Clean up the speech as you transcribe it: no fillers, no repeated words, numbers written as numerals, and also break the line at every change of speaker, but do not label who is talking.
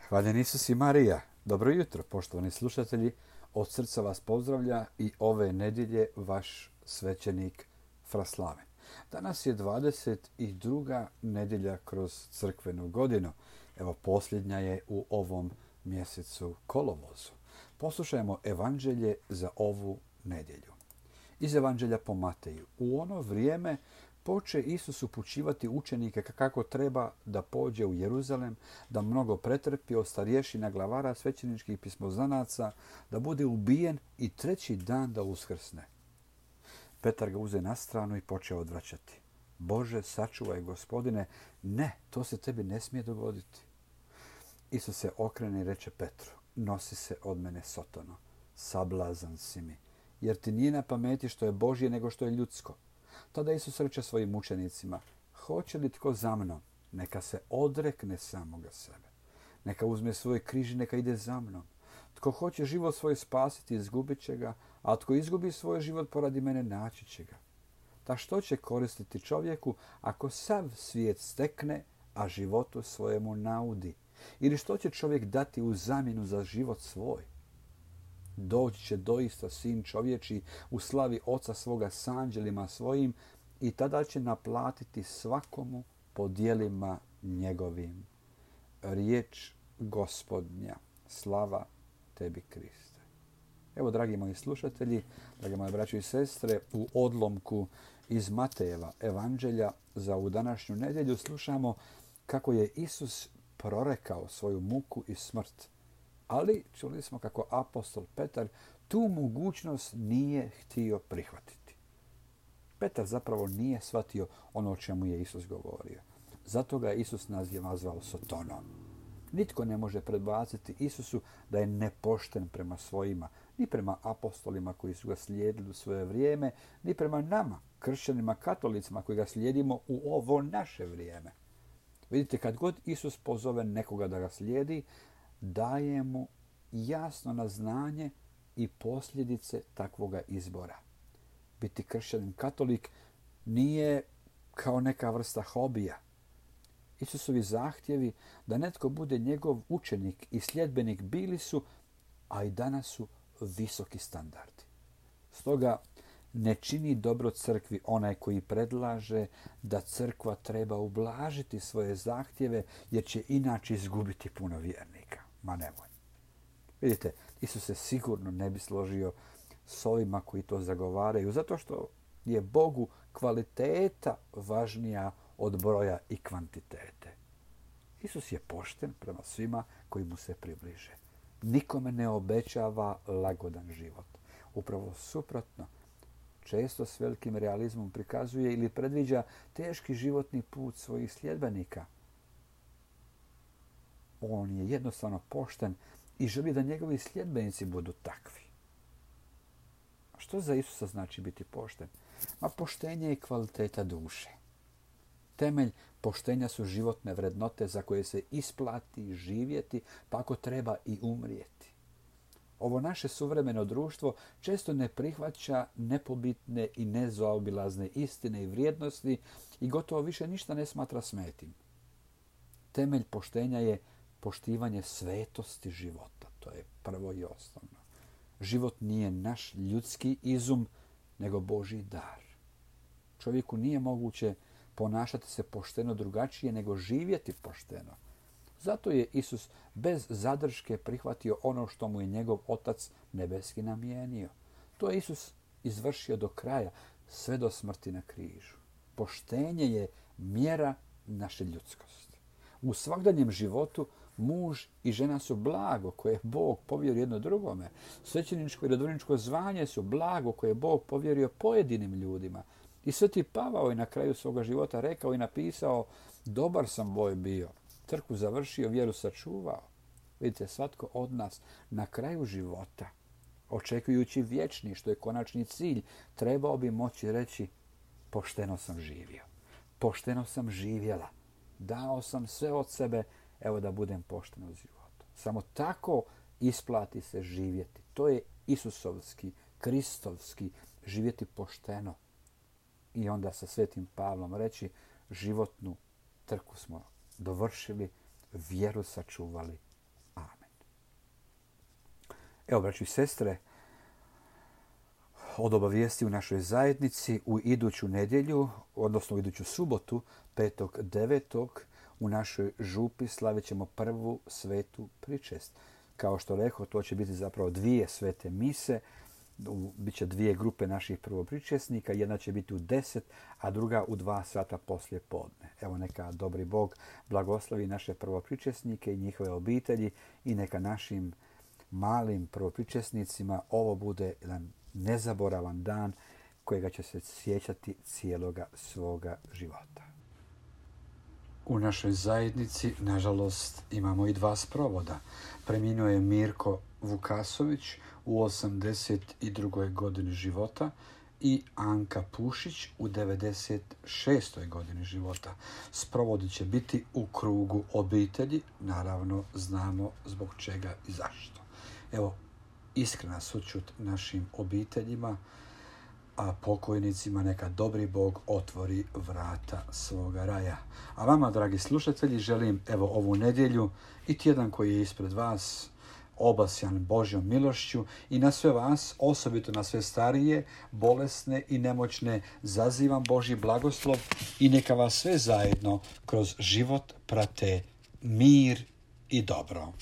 Hvaljen Isus i Marija. Dobro jutro, poštovani slušatelji. Od srca vas pozdravlja i ove nedjelje vaš svećenik Fraslaven. Danas je 22. nedjelja kroz crkvenu godinu. Evo, posljednja je u ovom mjesecu kolovozu. Poslušajmo evanđelje za ovu nedjelju. Iz evanđelja po Mateju. U ono vrijeme poče Isus upućivati učenike kako treba da pođe u Jeruzalem, da mnogo pretrpi od starješina, glavara, svećeničkih pismoznanaca, da bude ubijen i treći dan da uskrsne. Petar ga uze na stranu i počeo odvraćati. Bože, sačuvaj, Gospodine, ne, to se tebi ne smije dogoditi. Isus se okrene i reče Petru, nosi se od mene, Sotono, sablazan si mi, jer ti nije na pameti što je Božje nego što je ljudsko. Tada Isus reče svojim učenicima, hoće li tko za mnom, neka se odrekne samoga sebe. Neka uzme svoj križ i neka ide za mnom. Tko hoće život svoj spasiti, izgubit će ga, a tko izgubi svoj život poradi mene, naći će ga. Ta što će koristiti čovjeku ako sav svijet stekne, a životu svojemu naudi? Ili što će čovjek dati u zamjenu za život svoj? Doći će doista sin čovječi u slavi oca svoga s anđelima svojim i tada će naplatiti svakomu po djelima njegovim. Riječ Gospodnja, slava tebi Kriste. Evo, dragi moji slušatelji, dragi moje braćo i sestre, u odlomku iz Matejeva evanđelja za ovu današnju nedjelju slušamo kako je Isus prorekao svoju muku i smrt. Ali čuli smo kako apostol Petar tu mogućnost nije htio prihvatiti. Petar zapravo nije shvatio ono o čemu je Isus govorio. Zato ga je Isus nazvao Sotonom. Nitko ne može predbaciti Isusu da je nepošten prema svojima, ni prema apostolima koji su ga slijedili u svoje vrijeme, ni prema nama, kršćanima, katolicima koji ga slijedimo u ovo naše vrijeme. Vidite, kad god Isus pozove nekoga da ga slijedi, daje mu jasno na znanje i posljedice takvoga izbora. Biti kršćanin katolik nije kao neka vrsta hobija. Isusovi zahtjevi da netko bude njegov učenik i sljedbenik bili su, a i danas su visoki standardi. Stoga ne čini dobro crkvi onaj koji predlaže da crkva treba ublažiti svoje zahtjeve jer će inače izgubiti puno vjernika. Ma nemoj. Vidite, Isus se sigurno ne bi složio s ovima koji to zagovaraju, zato što je Bogu kvaliteta važnija od broja i kvantitete. Isus je pošten prema svima koji mu se približe. Nikome ne obećava lagodan život. Upravo suprotno, često s velikim realizmom prikazuje ili predviđa teški životni put svojih sljedbenika. On je jednostavno pošten i želi da njegovi sljedbenici budu takvi. Što za Isusa znači biti pošten? Ma poštenje je kvaliteta duše. Temelj poštenja su životne vrednote za koje se isplati živjeti, pa ako treba i umrijeti. Ovo naše suvremeno društvo često ne prihvaća nepobitne i nezaobilazne istine i vrijednosti i gotovo više ništa ne smatra svetim. Temelj poštenja je poštivanje svetosti života. To je prvo i osnovno. Život nije naš ljudski izum, nego Božji dar. Čovjeku nije moguće ponašati se pošteno drugačije nego živjeti pošteno. Zato je Isus bez zadrške prihvatio ono što mu je njegov Otac nebeski namijenio. To je Isus izvršio do kraja, sve do smrti na križu. Poštenje je mjera naše ljudskosti. U svakdanjem životu muž i žena su blago koje je Bog povjerio jedno drugome. Svećeničko i redovničko zvanje su blago koje je Bog povjerio pojedinim ljudima. I Sveti Pavao je na kraju svoga života rekao i napisao, dobar sam boj bio, trku završio, vjeru sačuvao. Vidite, svatko od nas na kraju života, očekujući vječni, što je konačni cilj, trebao bi moći reći, pošteno sam živio, pošteno sam živjela, dao sam sve od sebe, evo da budem pošten u životu. Samo tako isplati se živjeti. To je Isusovski, Kristovski, živjeti pošteno. I onda sa Svetim Pavlom reći, životnu trku smo dovršili, vjeru sačuvali, Evo, braći i sestre, od obavijesti u našoj zajednici u iduću nedjelju, odnosno u iduću subotu, 5.9. u našoj župi slavit ćemo prvu svetu pričest. Kao što rekao, to će biti zapravo 2 svete mise. Biće 2 grupe naših prvopričesnika. Jedna će biti u 10, a druga u 2 sata poslije podne. Evo, neka dobri Bog blagoslovi naše prvopričesnike i njihove obitelji i neka našim malim prvopričesnicima ovo bude jedan nezaboravan dan kojega će se sjećati cijeloga svoga života. U našoj zajednici, nažalost, imamo i 2 sprovoda. Preminuo je Mirko Vukasović u 82. godini života i Anka Pušić u 96. godini života. Sprovodi će biti u krugu obitelji, naravno znamo zbog čega i zašto. Evo, iskrena sućut našim obiteljima, a pokojnicima neka dobri Bog otvori vrata svoga raja. A vama, dragi slušatelji, želim evo ovu nedjelju i tjedan koji je ispred vas obasjan Božjom milošću i na sve vas, osobito na sve starije, bolesne i nemoćne, zazivam Božji blagoslov i neka vas sve zajedno kroz život prate mir i dobro.